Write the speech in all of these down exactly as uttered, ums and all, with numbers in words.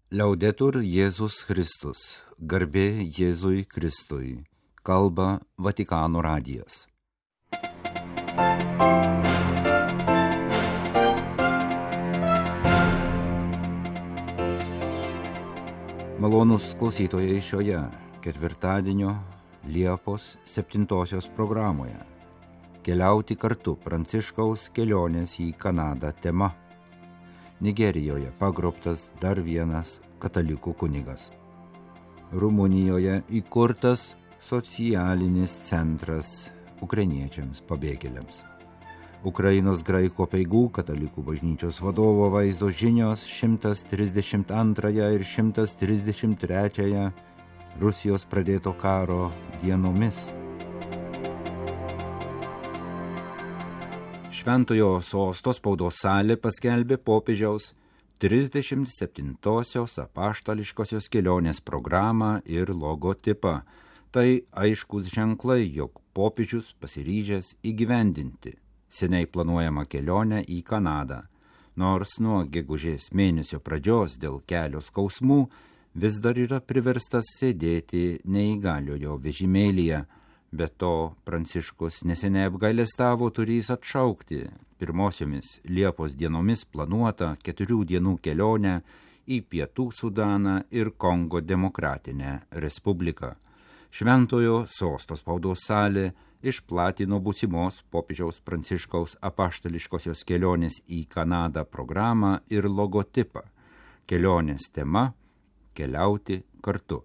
Liaudetur Jėzus Kristus, garbė Jėzui Kristui, kalba Vatikano radijas. Malonūs klausytojai šioje ketvirtadienio Liepos septintosios programoje. Keliauti kartu Pranciškaus kelionės į Kanadą tema. Nigerijoje pagrobtas dar vienas katalikų kunigas. Rumunijoje įkurtas socialinis centras ukrainiečiams pabėgėliams. Ukrainos graikų apeigų katalikų bažnyčios vadovo vaizdo žinios šimtas trisdešimt antrąją ir šimtas trisdešimt trečiąją Rusijos pradėto karo dienomis. Šventojo sosto spaudos salė paskelbė popiežiaus trisdešimt septintosios apaštališkosios kelionės programą ir logotipą. Tai aiškus ženklai, jog popiežius pasiryžęs įgyvendinti seniai planuojamą kelionę į Kanadą. Nors nuo gegužės mėnesio pradžios dėl kelio skausmų vis dar yra priverstas sėdėti neįgaliojo vežimėlyje. Be to, Pranciškus neseniai apgailestavo turys atšaukti pirmosiomis Liepos dienomis planuotą keturių dienų kelionę į Pietų Sudaną ir Kongo Demokratinę Respubliką. Šventojo sosto spaudos salė išplatino būsimos popiežiaus Pranciškaus apaštališkosios kelionės į Kanadą programą ir logotipą. Kelionės tema – keliauti kartu.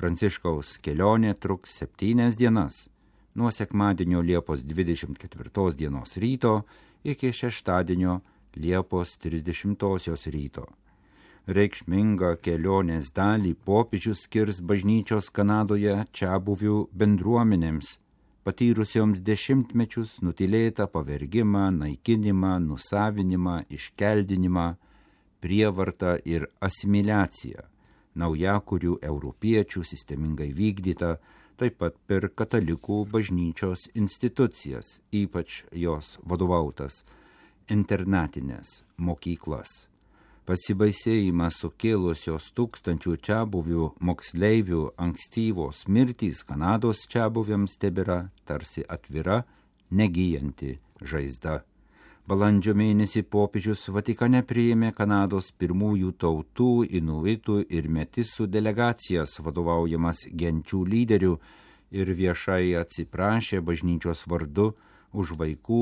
Pranciškaus kelionė truks septynias dienas, nuo sekmadienio Liepos dvidešimt ketvirtos dienos ryto iki šeštadienio Liepos trisdešimtosios ryto. Reikšmingą kelionės dalį popiežius skirs bažnyčios Kanadoje čiabuvių bendruomenėms, patyrusioms dešimtmečius nutylėtą pavergimą, naikinimą, nusavinimą, iškeldinimą, prievartą ir asimiliaciją. Naujakurių europiečių sistemingai vykdyta, taip pat per katalikų bažnyčios institucijas, ypač jos vadovautas internatinės mokyklas. Pasibaisėjimą sukėlusios tūkstančių čiabuvių moksleivių ankstyvos mirtys Kanados čiabuviams tebėra tarsi atvira, negyjanti žaizda. Balandžio mėnesį popiežius Vatikane priėmė Kanados pirmųjų tautų, inuitų ir metisų delegacijas vadovaujamas genčių lyderių ir viešai atsiprašė bažnyčios vardu už vaikų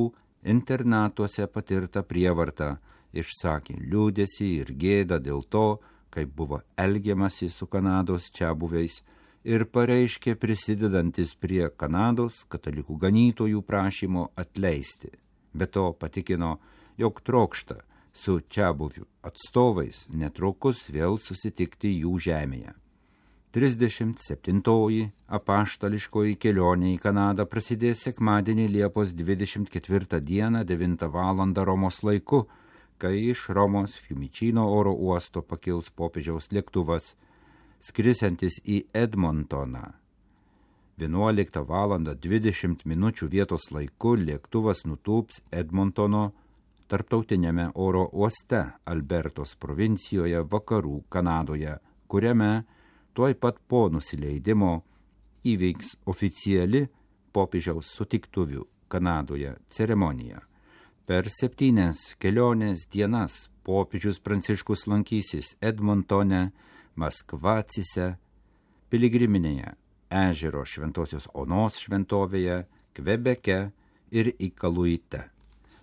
internatuose patirtą prievartą, išsakė liūdesį ir gėdą dėl to, kaip buvo elgiamasi su Kanados čiabuviais ir pareiškė prisidedantis prie Kanados katalikų ganytojų prašymo atleisti. Be to patikino, jog trokšta su čiabuvių atstovais netrukus vėl susitikti jų žemėje. trisdešimt septintoji apaštališkoji kelionė į Kanadą prasidės sekmadienį Liepos dvidešimt ketvirtą dieną devintą valandą Romos laiku, kai iš Romos Fiumicino oro uosto pakils popiežiaus lėktuvas, skrisiantis į Edmontoną. vienuoliktą valandą dvidešimt minučių vietos laiku lėktuvas nutūps Edmontono tarptautiniame oro uoste Albertos provincijoje vakarų Kanadoje, kuriame tuoj pat po nusileidimo įvyks oficiali popiežiaus sutiktuvių Kanadoje ceremonija. Per septynias kelionės dienas popiežius Pranciškus lankysis Edmontone, Maskvacise, piligriminėje ežero Šventosios Onos šventovėje, Kvebeke ir Ikaluite.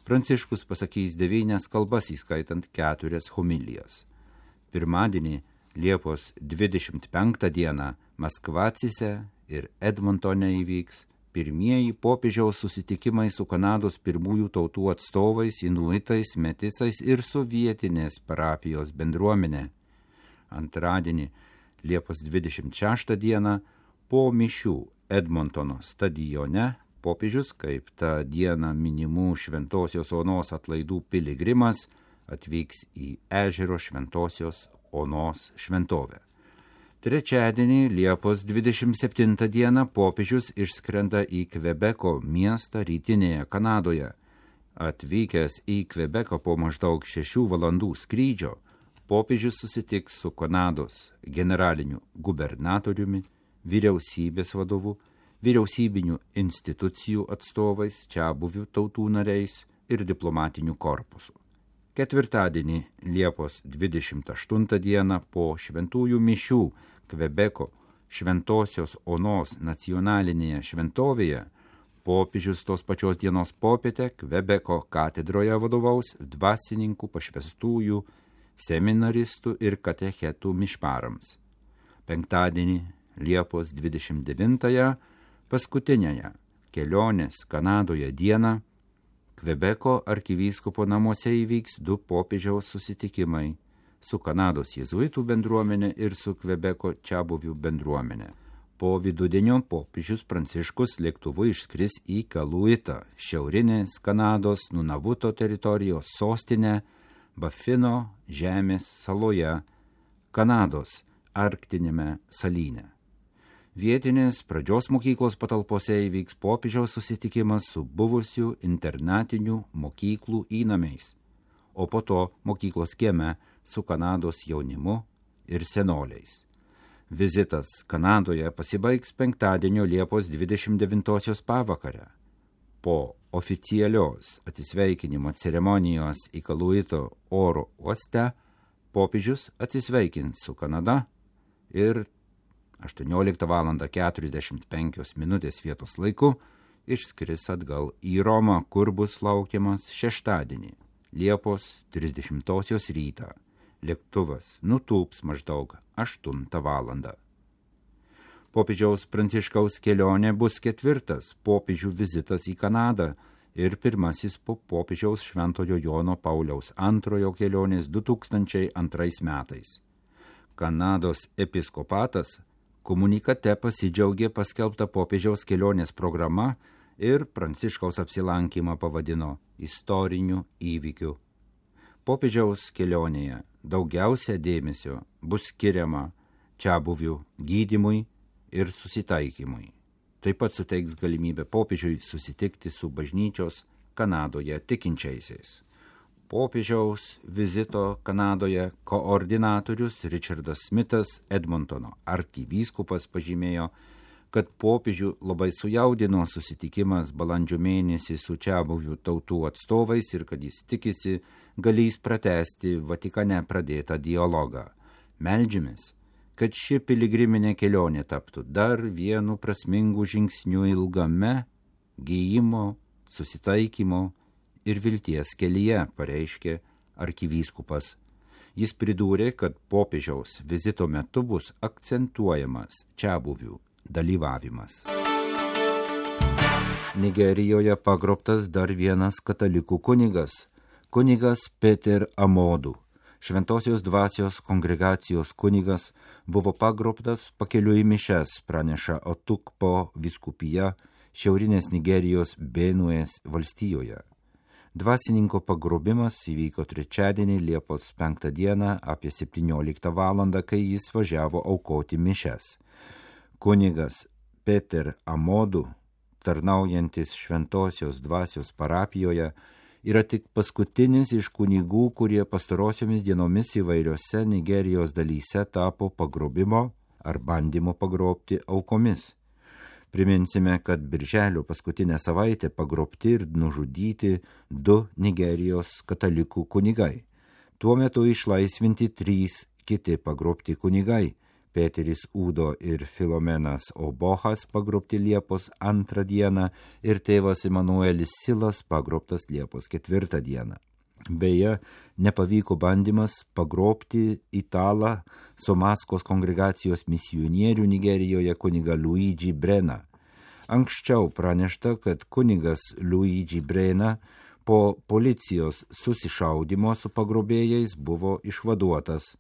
Pranciškus pasakys devynias kalbas, įskaitant keturias homilijas. Pirmadienį, Liepos dvidešimt penktą dieną, Maskvacise ir Edmontone įvyks pirmieji popiežiaus susitikimai su Kanados pirmųjų tautų atstovais, inuitais, metisais ir su vietinės parapijos bendruomenė. Antradienį, Liepos dvidešimt šeštą dieną, po mišių Edmontono stadione popiežius, kaip tą dieną minimų Šventosios Onos atlaidų piligrimas, atvyks į ežero Šventosios Onos šventovę. Trečiadienį, Liepos dvidešimt septintą dieną, popiežius išskrenda į Kvebeko miestą rytinėje Kanadoje. Atvykęs į Kvebeką po maždaug šešių valandų skrydžio, popiežius susitiks su Kanados generaliniu gubernatoriumi, vyriausybės vadovu, vyriausybinių institucijų atstovais, čiabuvių tautų nariais ir diplomatiniu korpusu. Ketvirtadienį Liepos dvidešimt aštuntą dieną po šventųjų mišių Kvebeko Šventosios Onos nacionalinėje šventovėje popiežius tos pačios dienos popietę Kvebeko katedroje vadovaus dvasininkų pašvestųjų, seminaristų ir katechetų mišparams. Penktadienį Liepos dvidešimt devintąją paskutinėje kelionės Kanadoje dieną Kvebeko arkivyskupo namuose įvyks du popiežiaus susitikimai su Kanados jėzuitų bendruomenė ir su Kvebeko čiabuvių bendruomenė. Po vidudienio popiežius Pranciškus lėktuvu išskris į Kaluitą, šiaurinės Kanados Nunavuto teritorijos sostinę Bafino žemės saloje, Kanados arktinėme salyne. Vietinės pradžios mokyklos patalpose įvyks popiežiaus susitikimas su buvusių internatinių mokyklų įnamiais, o po to mokyklos kieme su Kanados jaunimu ir senoliais. Vizitas Kanadoje pasibaigs penktadienio Liepos dvidešimt devintosios pavakarę. Po oficialios atsisveikinimo ceremonijos į Kaluito oro uoste popiežius atsisveikins su Kanada ir aštuonioliktą valandą keturiasdešimt penkios minutės vietos laiku išskris atgal į Romą, kur bus laukiamas šeštadienį, Liepos trisdešimtosios rytą. Lėktuvas nutūps maždaug aštuntą valandą. Popiežiaus Pranciškaus kelionė bus ketvirtas popiežių vizitas į Kanadą ir pirmasis po popiežiaus Šventojo Jono Pauliaus antrojo kelionės du tūkstančiai antrais metais. Kanados episkopatas komunikate pasidžiaugė paskelbtą popiežiaus kelionės programa ir Pranciškaus apsilankymą pavadino istoriniu įvykiu. Popiežiaus kelionėje daugiausia dėmesio bus skiriama čiabuvių gydymui ir susitaikymui. Taip pat suteiks galimybę popiežiui susitikti su bažnyčios Kanadoje tikinčiaisiais. Popiežiaus vizito Kanadoje koordinatorius Richardas Smithas, Edmontono arkivyskupas, pažymėjo, kad popiežių labai sujaudino susitikimas balandžio mėnesį su čiabuvių tautų atstovais ir kad jis tikisi galės pratęsti Vatikane pradėtą dialogą. Meldžiamės, kad ši piligriminė kelionė taptų dar vienu prasmingu žingsniu ilgame gijimo, susitaikymo ir vilties kelyje, pareiškė arkivyskupas. Jis pridūrė, kad popiežiaus vizito metu bus akcentuojamas čiabuvių dalyvavimas. Nigerijoje pagrobtas dar vienas katalikų kunigas, kunigas Peter Amodu. Šventosios dvasios kongregacijos kunigas buvo pagrobtas pakeliui į mišias, praneša Otukpo vyskupija šiaurinės Nigerijos Benuės valstijoje. Dvasininko pagrobimas įvyko trečiadienį Liepos penktą dieną apie septynioliktą valandą, kai jis važiavo aukoti mišias. Kunigas Peter Amodu, tarnaujantis Šventosios dvasios parapijoje, yra tik paskutinis iš kunigų, kurie pastarosiomis dienomis įvairiose Nigerijos dalyse tapo pagrobimo ar bandymo pagrobti aukomis. Priminsime, kad birželio paskutinę savaitę pagrobti ir nužudyti du Nigerijos katalikų kunigai. Tuo metu išlaisvinti trys kiti pagrobti kunigai. Peteris Udo ir Filomenas Obohas pagrobti Liepos antrą dieną ir tėvas Emanuelis Silas pagrobtas Liepos ketvirtą dieną. Beje, nepavyko bandymas pagrobti italą Somaskos kongregacijos misionierių Nigerijoje kunigą Luigi Brena. Anksčiau pranešta, kad kunigas Luigi Brena po policijos susišaudymo su pagrobėjais buvo išvaduotas.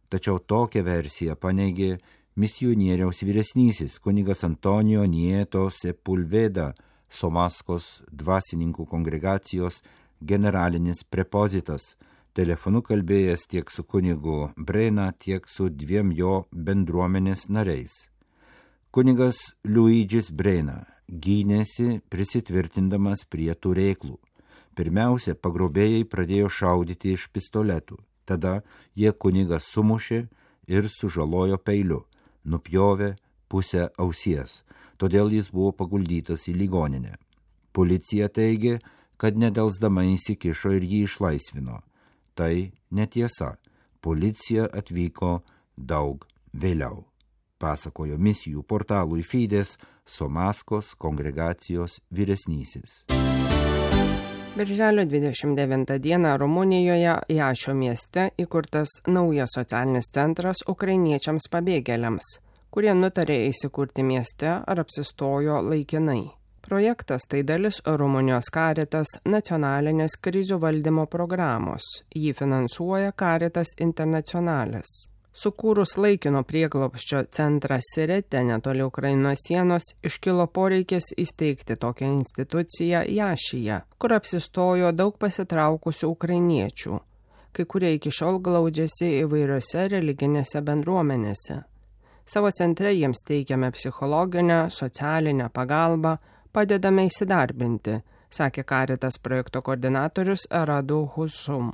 Tačiau tokią versiją paneigė misionieriaus vyresnysis kunigas Antonijo Nieto Sepulveda, Somaskos dvasininkų kongregacijos generalinis prepozitas, telefonu kalbėjęs tiek su kunigu Brena, tiek su dviem jo bendruomenės nariais. Kunigas Luigis Brena gynėsi prisitvirtindamas prie turėklų. Pirmiausia, pagrobėjai pradėjo šaudyti iš pistoletų. Tada jie kunigą sumušė ir sužalojo peiliu, nupjovė pusę ausies, todėl jis buvo paguldytas į ligoninę. Policija teigė, kad nedelsdama įsikišo ir jį išlaisvino. Tai netiesa. Policija atvyko daug vėliau, pasakojo misijų portalui Fides Somaskos kongregacijos vyresnysis. Birželio dvidešimt devintą dieną Rumunijoje Jašio mieste įkurtas naujas socialinis centras ukrainiečiams pabėgėliams, kurie nutarė įsikurti mieste ar apsistojo laikinai. Projektas tai dalis Rumunijos Caritas nacionalinės krizių valdymo programos. Jį finansuoja Caritas Internationalis. Sukūrus laikino prieglobsčio centrą Sirete netoli Ukrainos sienos, iškilo poreikis įsteigti tokią instituciją Jašyje, kur apsistojo daug pasitraukusių ukrainiečių, kai kurie iki šiol glaudžiasi įvairiose religinėse bendruomenėse. Savo centre jiems teikiame psichologinę, socialinę pagalbą, padedame įsidarbinti, sakė Caritas projekto koordinatorius Radu Husum.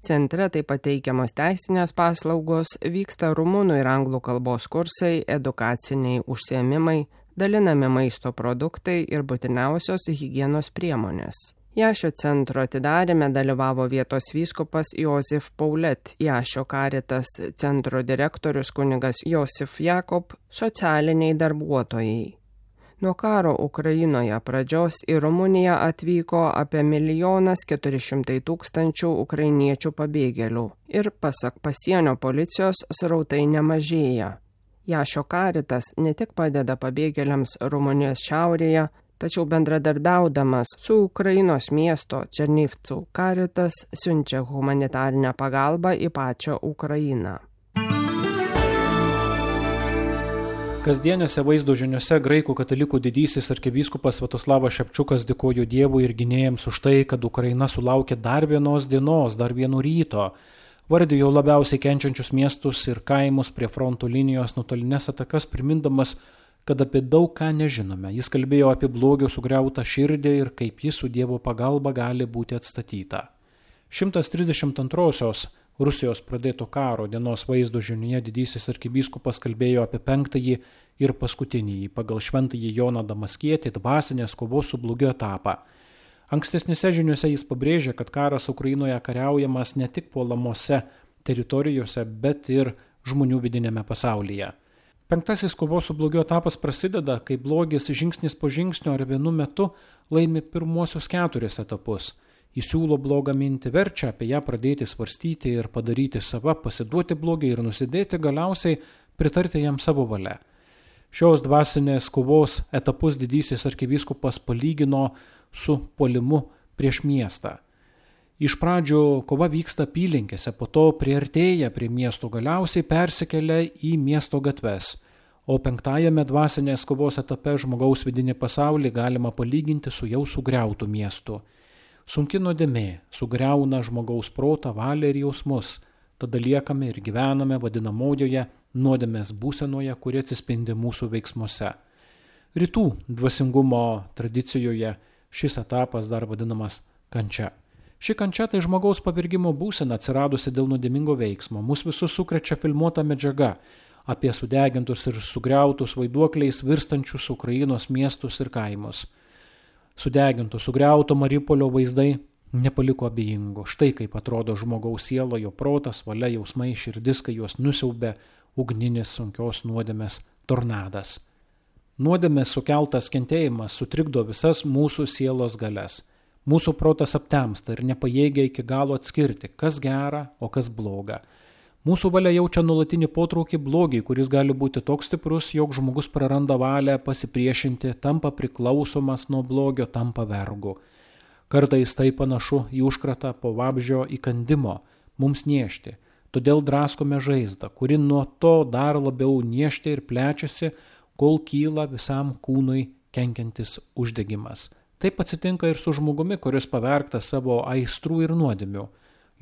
Centre taip pat teikiamos teisinės paslaugos, vyksta rumunų ir anglų kalbos kursai, edukaciniai užsiėmimai, dalinami maisto produktai ir būtiniausios higienos priemonės. Jašio centro atidarime dalyvavo vietos vyskupas Josif Paulet, Jašio Caritas centro direktorius kunigas Josif Jakob, socialiniai darbuotojai. Nuo karo Ukrainoje pradžios į Rumuniją atvyko apie milijonas keturi šimtai tūkstančių ukrainiečių pabėgėlių ir, pasak pasienio policijos, srautai nemažėja. Jašio Caritas ne tik padeda pabėgėliams Rumunijos šiaurėje, tačiau bendradarbiaudamas su Ukrainos miesto Černivcų Caritas siunčia humanitarinę pagalbą į pačią Ukrainą. Kasdienėse vaizdo žiniuose graikų katalikų didysis arkivyskupas Sviatoslavas Šepčiukas dėkojo Dievui ir gynėjams už tai, kad Ukraina sulaukė dar vienos dienos, dar vieno ryto. Vardijo labiausiai kenčiančius miestus ir kaimus prie fronto linijos nuotolinės atakas, primindamas, kad apie daug ką nežinome. Jis kalbėjo apie blogio sugriautą širdį ir kaip jis su Dievo pagalba gali būti atstatyta. šimtas trisdešimt antrosios Rusijos pradėto karo dienos vaizdo žiniuje didysis arkivyskupas kalbėjo apie penktąjį ir paskutinįjį pagal šventąjį Joną Damaskietį dvasinės kovos su blogiu etapą. Ankstesnėse žiniuose jis pabrėžė, kad karas Ukrainoje kariaujamas ne tik puolamose teritorijose, bet ir žmonių vidinėme pasaulyje. Penktasis kovos su blogiu etapas prasideda, kai blogis žingsnis po žingsnio ar vienu metu laimi pirmuosius keturis etapus. Įsiūlo blogą mintį, verčia apie ją pradėti svarstyti ir padaryti sava, pasiduoti blogiai ir nusidėti, galiausiai pritarti jam savo valia. Šios dvasinės kovos etapus didysis arkivyskupas palygino su puolimu prieš miestą. Iš pradžių kova vyksta apylinkėse, po to priartėja prie miesto, galiausiai persikelia į miesto gatves. O penktajame dvasinės kovos etape žmogaus vidinį pasaulį galima palyginti su jau sugriautu miestu. Sunki nuodėmė sugriauna žmogaus protą, valią ir jausmus, tada liekame ir gyvename vadinamojoje nuodėmės būsenoje, kuri atsispindi mūsų veiksmuose. Rytų dvasingumo tradicijoje šis etapas dar vadinamas kančia. Ši kančia tai žmogaus pavirgimo būsena atsiradusi dėl nuodėmingo veiksmo. Mus visus sukrečia filmuota medžiaga apie sudegintus ir sugriautus vaiduokliais virstančius Ukrainos miestus ir kaimus. Sudeginto, sugriauto Mariupolio vaizdai nepaliko abejingų. Štai kaip atrodo žmogaus siela, jo protas, valia, jausmai, širdis, kai juos nusiaubė ugninis sunkios nuodėmės tornadas. Nuodėmės sukeltas kentėjimas sutrikdo visas mūsų sielos galias. Mūsų protas aptemsta ir nepajėgia iki galo atskirti, kas gera, o kas bloga. Mūsų valia jaučia nuolatinį potraukį blogiai, kuris gali būti toks stiprus, jog žmogus praranda valią pasipriešinti, tampa priklausomas nuo blogio, tampa vergu. Kartais tai panašu į užkratą po vabzdžio įkandimo, mums niežti. Todėl draskome žaizdą, kuri nuo to dar labiau niežti ir plečiasi, kol kyla visam kūnui kenkiantis uždegimas. Taip atsitinka ir su žmogumi, kuris pavergtas savo aistrų ir nuodėmių.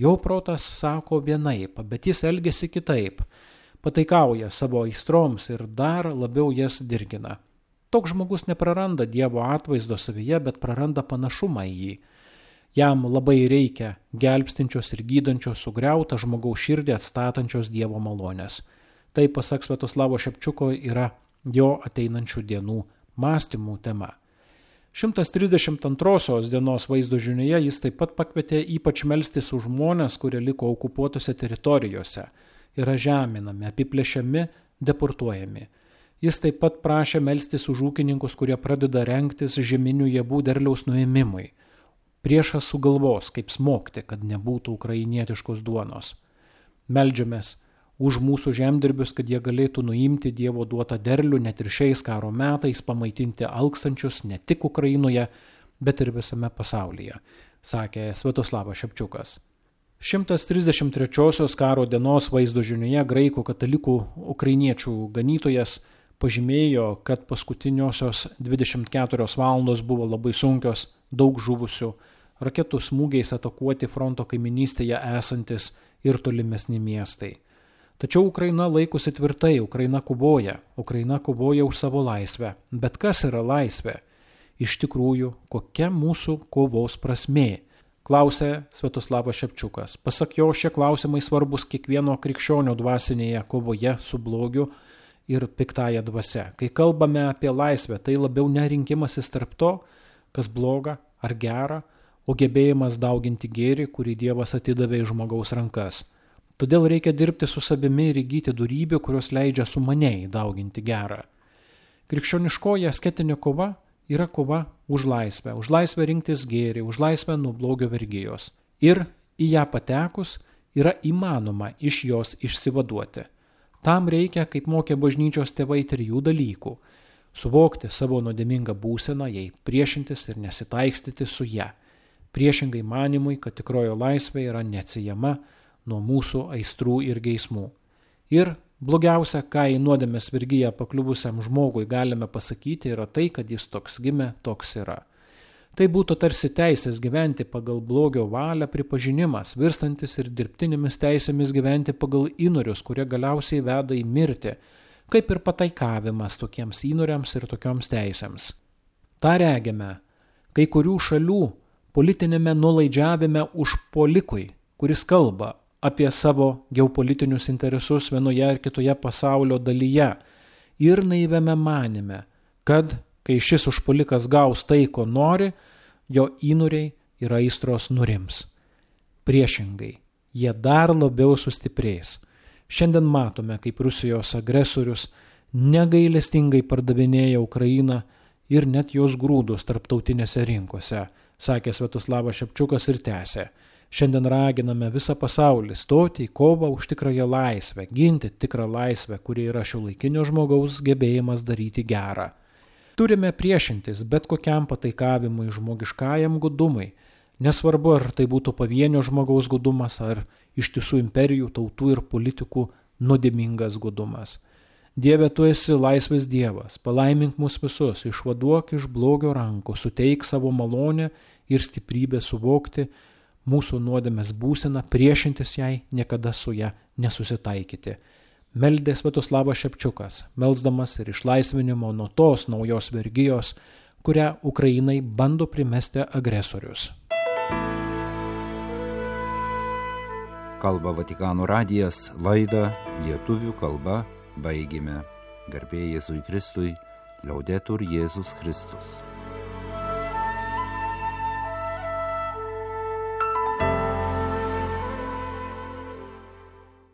Jo protas sako vienaip, bet jis elgiasi kitaip, pataikauja savo aistroms ir dar labiau jas dirgina. Toks žmogus nepraranda Dievo atvaizdo savyje, bet praranda panašumą į jį. Jam labai reikia gelbstinčios ir gydančios sugriautą žmogaus širdį atstatančios Dievo malonės. Tai, pasak Sviatoslavo Šepčiuko, yra jo ateinančių dienų mąstymų tema. šimtas trisdešimt antrosios dienos vaizdo žinioje jis taip pat pakvietė ypač melstis už žmones, kurie liko okupuotose teritorijose, yra žeminami, apiplėšiami, deportuojami. Jis taip pat prašė melstis už ūkininkus, kurie pradeda rengtis žieminių javų derliaus nuėmimui. Priešas sugalvos, kaip smogti, kad nebūtų ukrainietiškos duonos. Meldžiamės už mūsų žemdirbius, kad jie galėtų nuimti Dievo duotą derlių net ir šiais karo metais, pamaitinti alkstančius ne tik Ukrainoje, bet ir visame pasaulyje, sakė Sviatoslavas Šepčiukas. šimtas trisdešimt trečiosios karo dienos vaizdo žinioje graikų katalikų ukrainiečių ganytojas pažymėjo, kad paskutiniosios dvidešimt keturios valandos buvo labai sunkios, daug žuvusių, raketų smūgiais atakuoti fronto kaiminystėje esantis ir tolimesni miestai. Tačiau Ukraina laikosi tvirtai, Ukraina kovoja, Ukraina kovoja už savo laisvę. Bet kas yra laisvė? Iš tikrųjų, kokia mūsų kovos prasmė? Klausė Sviatoslavas Šepčiukas. Pasak jo, šie klausimai svarbus kiekvieno krikščionio dvasinėje kovoje su blogiu ir piktąja dvasia. Kai kalbame apie laisvę, tai labiau nerinkimasis tarp to, kas bloga ar gera, o gebėjimas dauginti gėrį, kurį Dievas atidavė į žmogaus rankas. Todėl reikia dirbti su savimi ir įgyti dorybių, kurios leidžia sumaniai dauginti gerą. Krikščioniškoji asketinė kova yra kova už laisvę, už laisvę rinktis gėrį, už laisvę nuo blogio vergijos. Ir į ją patekus yra įmanoma iš jos išsivaduoti. Tam reikia, kaip mokė bažnyčios tėvai, trijų dalykų: suvokti savo nuodėmingą būseną, jai priešintis ir nesitaikstyti su ja. Priešingai manimui, kad tikrojo laisvė yra neatsiejama nuo mūsų aistrų ir geismų. Ir blogiausia, ką į nuodėmės vergiją pakliuvusiam žmogui galime pasakyti, yra tai, kad jis toks gimė, toks yra. Tai būtų tarsi teisės gyventi pagal blogio valią pripažinimas, virstantis ir dirbtinėmis teisėmis gyventi pagal įnorius, kurie galiausiai veda į mirtį, kaip ir pataikavimas tokiems įnoriams ir tokioms teisėms. Ta regime kai kurių šalių politinėme nulaidžiavime užpuolikui, kuris kalba apie savo geopolitinius interesus vienoje ar kitoje pasaulio dalyje, ir naiviame manime, kad kai šis užpuolikas gaus tai, ko nori, jo įnoriai ir aistros nurims. Priešingai, jie dar labiau sustiprės. Šiandien matome, kaip Rusijos agresorius negailestingai pardavinėja Ukrainą ir net jos grūdus tarptautinėse rinkose, sakė Sviatoslavas Šepčiukas ir tęsė. Šiandien raginame visą pasaulį stoti į kovą už tikrąją laisvę, ginti tikrą laisvę, kuri yra šiuolaikinio žmogaus gebėjimas daryti gerą. Turime priešintis bet kokiam pataikavimui žmogiškajam gudumui, nesvarbu, ar tai būtų pavienio žmogaus gudumas, ar ištisų imperijų, tautų ir politikų nuodėmingas gudumas. Dieve, tu esi laisvės Dievas, palaimink mus visus, išvaduok iš blogio rankų, suteik savo malonę ir stiprybę suvokti mūsų nuodėmės būseną, priešintis jai, niekada su ją nesusitaikyti. Meldė Sviatoslavas Šepčiukas, melsdamas ir išlaisvinimo nuo tos naujos vergijos, kurią Ukrainai bando primesti agresorius. Kalba Vatikano radijas, laidą lietuvių kalba baigėme. Garbė Jėzui Kristui, Liaudetur Jėzus Kristus.